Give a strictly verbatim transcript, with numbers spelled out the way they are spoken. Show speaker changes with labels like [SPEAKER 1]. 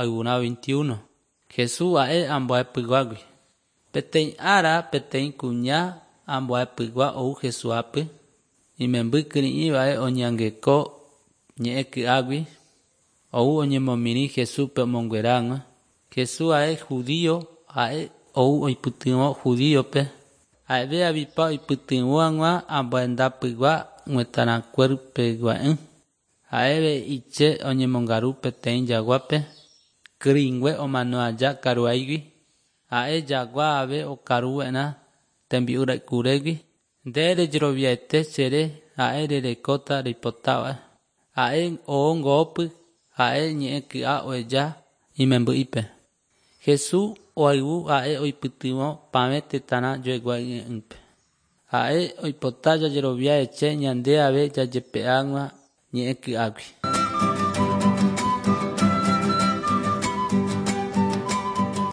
[SPEAKER 1] Ayvurã veintiuno. Jesús ha'e ambuepyguágui. Peteĩ ára peteĩ kuña ambuepygua ou Jesúsapy imemby kyri'ĩva'e oñeangeko ñe'ẽ ky'águi ou oñemomirĩ Jesúspe omonguera hag̃ua. Jesús ha'e judío ha'e ou oipytyvõ judíope ha'eve avipa oipytyvõ hag̃ua ambuendapygua g̃uetarãkuérpegua'ỹ. Ha'eve iche oñemongaru peteĩ jaguápe kyrỹingue omano aja karuaígui ha'e jagua ave okaruva'erã tembi'u ra'ykurégui nde rejeroviaite chere ha'e rerekóta reipotáva ha'e oo ngoópy ha'e ñe'ẽ ky'a oheja imemby'ípe. Jesús oayvu ha'e oipytyvõ pavẽ tetãrã joegua'ỹpe. Ha'e oipota jajerovia eche ñande ave jajepe'a hag̃ua ñe'ẽ ky'águi.